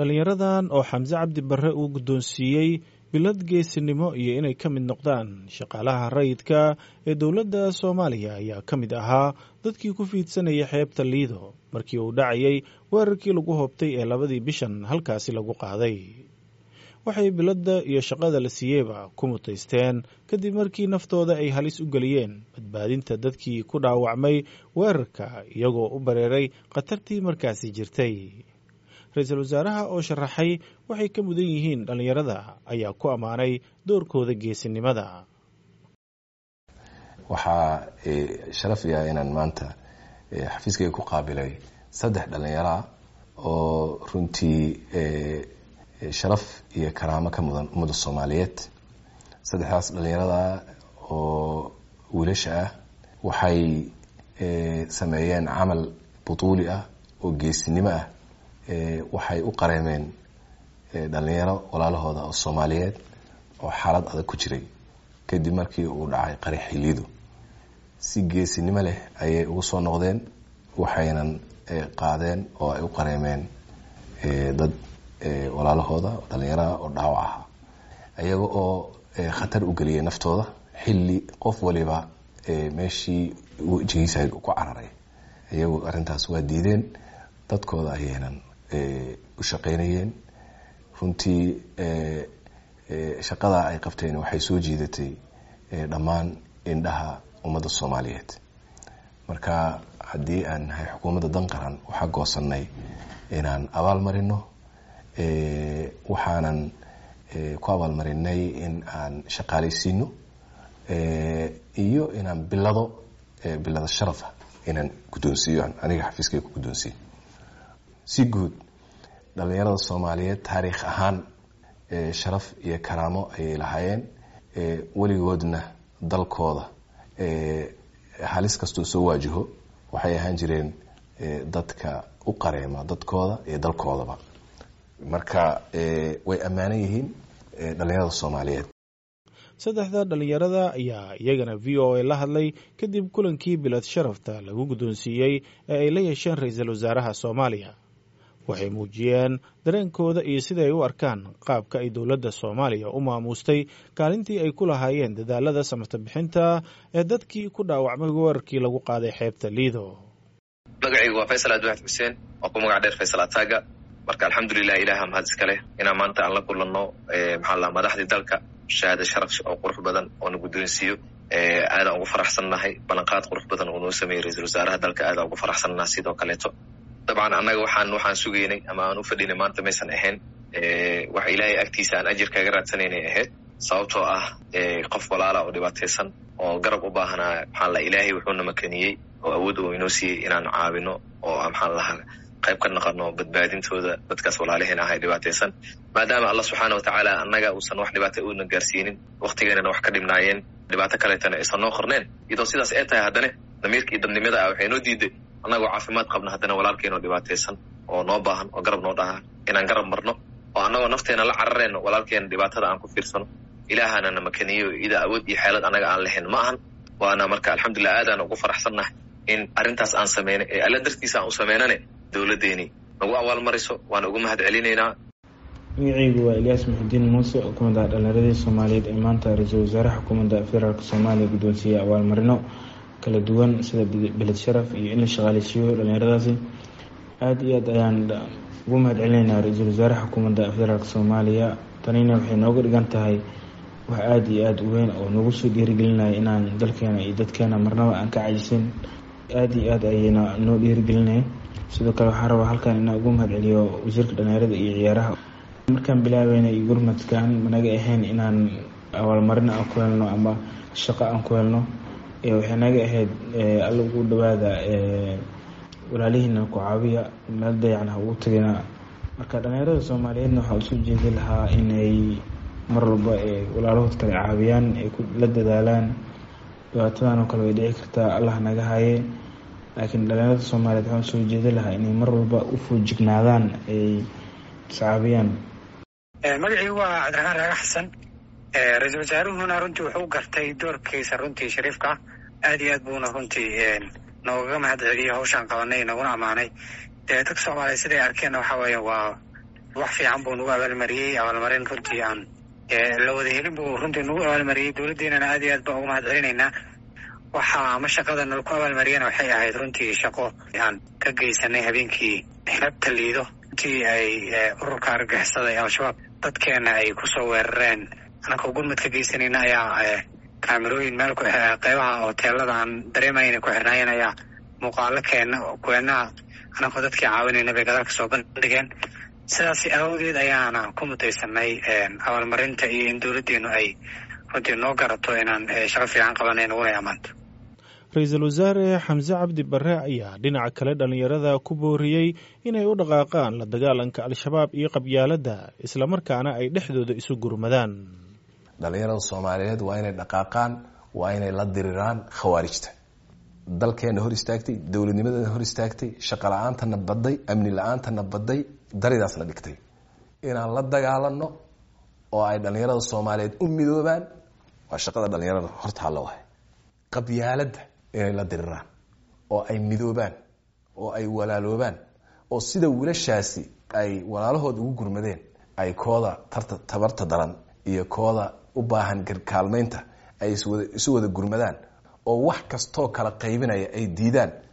Dhallinyaradan oo Xamse Cabdi Barre uu guddoonsiiyey bilad geesinimo iyo inay ka mid noqdaan shaqaalaha rayidka ee dowladda Soomaaliya ayaa ka mid ahaa dadkii ku fiidsanayay xeebta Liido markii uu dhacayay weerarkii lagu hoobtay ee 2dii bishan halkaasi lagu qaaday. Waxay biladda iyo shaqada la siiyeyba ku mutaysteen kadib markii naftooda ay halis u geliyeen badbaadinta dadkii ku dhaawacmay weerarka, iyagoo u bareeray khatartii markaasi jirtay. Ra-iisul wasaaraha oo sharaxay waxay ka mudan yihiin dhallinyarada ayaa ku ammaanay doorkooda geesinimada. Waxaa sharaf iah inaan maanta xafiiskayga ku qaabilay 3 dhallinyaro ah oo runtii sharaf iyo karaamo ka mudan ummadda Soomaaliyeed. 3daas dhallinyarada oo wiilasha ah waxay sameeyeen camal butuuli ah oo geesinimo ah. Waxay u qareemeen dhalinyaro walaalahooda oo Soomaaliyeed oo xaalad adag ku jiray kadib markii uu dhacay qaraxii Liido. Si geesinimo leh ayay ugu soo noqdeen, waxaynan qaadeen oo ay u qareemeen dad walaalahooda dhalinyaraha oo dhaawac ahaa, iyaga oo khatar u geliyay naftooda xilli qof waliba meeshii wejigiisa ku cararay. Iyagu arrintaas waa diideen, dadkooda ayaynan u shaqaynayeen. Runtii shaqada ay qabteen waxay soo jiidatay dhammaan indhaha ummadda Soomaaliyeed. Marka haddii aan nahay xukuumadda dan qaran, waxaa goosanay inaan abaal marino, waxaanan ku abaalmarinay in aan shaqaalaysiino iyo inaan bilado sharafa inaan guddoonsiiyo, aniga xafiiskayga ku guddoonsiiyo. Si guud dhalinyarada Soomaaliyeed taariikh ahaan sharaf iyo karaamo ayay lahaayeen, weligoodna dalkooda halis kastoo soo waajaho waxay ahaan jireen dadka u qareema dadkooda iyo dalkoodaba. Marka way ammaanan yihiin dhalinyarada Soomaaliyeed. 3da dhallinyarada ayaa iyagana VOA la hadlay kadib kulankii bilad sharafta lagu guddoonsiiyey ee ay la yeesheen ra-iisul wasaaraha Soomaaliya. Waxay muujiyeen dareenkooda iyo sida ay u arkaan qaabka ay dowladda Soomaaliya u maamuustay kaalintii ay ku lahaayeen dadaalada samata bixinta ee dadkii ku dhaawacmay weerarkii lagu qaaday xeebta Liido. Magacaygu waa Faysal Abdiwaxid Xuseen oo ku magac dheer Faysal Ataaga. Marka alxamdulilah, Ilaha mahad iska leh inaan maanta aan la kulanno, maxaa la, madaxdii dalka, shahaada sharaf oo qurux badan oo na guddoonsiiyo. Aadaan ugu faraxsannahay ballanqaad qurux badan oo noo sameeyey ra-iisul wasaaraha dalka. Aadaan ugu faraxsannahay sidoo kaleeto. Dabcan annaga waxaan sugaynay ama aan u fadhinay maanta maysan ahayn wax Ilaahay agtiisa aan ajir kaga raadsanaynay ahayd, sababtoo ah qof walaala oo dhibaataysan oo garab u baahanaa, maxaa la, Ilaahay wuxuuna makaniyey oo awood uu inoo siiyey inaan caawino oo, maxaan lahaa, qayb ka naqano badbaadintooda dadkaas walaalaheen ah ay dhibaataysan, maadaama Allah subxaana watacaala annaga uusan wax dhibaata uuna gaarsiinin, waktigeenana wax ka dhibnaayeen, dhibaato kaleetana aysan noo qorneen. Iyadoo sidaas ee tahay, haddana damiirka iyo dadnimada ah waxay noo diiday, annagoo caafimaad qabna, haddana walaalkeenoo dhibaataysan oo noo baahan oo garab noo dhaha inaan garab marno oo annagoo nafteena la carareyno walaalkeena dhibaatada aan ku fiirsano. Ilaahana na makaniyo ida awood iyo xeelad annaga aan lahayn ma ahan. Waana marka alxamdulilah, aadaan ugu faraxsannahay in arrintaas aan sameynay ee Alla dartiisa aan u sameynane dowladdeeni nagu abaalmariso, waana ugu mahad celinaynaa. Magacaygu waa Ilyaas Muxudiin Muuse oo kamid ah dhalinyaradii Soomaaliyeed ee maanta ra-iisul wasaaraha xukuumadda federaalk Soomaaliya guddoonsiiyey abaalmarino kala duwan sida bilad sharaf iyo in la shaqaaleysiiyo dhalinyaradaasi. Aada iyo aad ayaan ugu mahad celinaynaa ra-iisul wasaaraha xukuumadda federaalk Soomaaliya. Tanina waxay nooga dhigan tahay wax aada iyo aada u weyn oo nagu soo dhiirigelinaya inaan dalkeena iyo dadkeena marnaba aan ka cajisin. Aada iyo aad ayayna noo dhiirigelinaya. Sidoo kale waxaan rabaa halkan inaan ugu mahad celiyo wasiirka dhalinyarada iyo ciyaaraha. Markaan bilaabeynay gurmadkan managa ahayn inaan abaalmarin aan ku helno ama shaqo aan ku helno, waxay naga ahayd Alla ugu dhawaada, walaalihiina ku caawiya, meel dayacan ha ugu tagina. Marka dhalinyarada Soomaaliyeedna waxaa usoo jeedi lahaa inay mar walba walaalahood kale caawiyaan, ay la dadaalaan. Dhibaatadan oo kale way dhici kartaa, Allah naga haye, laakiin dhalinyarada Soomaaliyeed waxaan usoo jeedi lahaa inay mar walba u foojignaadaan, ay iscaawiyaan. Magacii waa Cabdiraxmaan Raaga Xasan. Ra-iisul wasaaruhuna runtii wuxuu gartay doorkiisa runtii shariifka, aad iyo aad buuna runtii noogaga mahad celiyey hawshaan qabanay, naguna ammaanay. Dee dadka Soomaaliya siday arkeenna waxa weeye waa Wax fiican buu nagu abaalmariyey, abaalmarin runtii aan la wada helin buu runtii nagu abaalmariyey. Dowladdeenana aad iyo aad baan uga mahad celinaynaa. Waxa ama shaqada nala ku abaalmariyana waxay ahayd runtii shaqo aan ka geysanay habeenkii xeebta Liido, runtii ay ururka argagixisada ee Al-Shabaab dadkeena ay kusoo weerareen. Anakoo gurmad ka geysanayna ayaa kaamerooyin meel qeybaha hoteelada aan dareemaya inay ku xirnaayeen ayaa muuqaalo keena kuweenaha anakoo dadkii caawinayna bay gadaal kasoo bandhigeen. Sidaas awgeed ayaana ku mutaysanay abaalmarinta iyo in dowladdeenu ay runtii noo garato inaan shaqo fiican qabanayn uguna amaanto. Ra-iisul wasaare Xamse Cabdi Barre ayaa dhinaca kale dhallinyarada ku booriyey inay u dhaqaaqaan la dagaalanka Al-Shabaab iyo qabyaaladda, islamarkaana ay dhexdooda isu gurmadaan. Dhallinyarada Soomaaliyeed waa inay dhaqaaqaan, waa inay la diriraan khawaarijta dalkeena hor istaagtay, dowladnimadeena hor istaagtay, shaqo la-aantana baday, amni la-aantana baday, daridaasna dhigtay. Inaan la dagaalano oo ay dhallinyarada Soomaaliyeed u midoobaan waa shaqada dhallinyarada hortaalla. Wahay qabyaaladda inay la diriraan oo ay midoobaan oo ay walaaloobaan, oo sida wiilashaasi ay walaalahood ugu gurmadeen ay kooda tarta tabarta daran iyo kooda u baahan kaalmaynta ay isu wada gurmadaan, oo wax kastoo kala qaybinaya ay diidaan.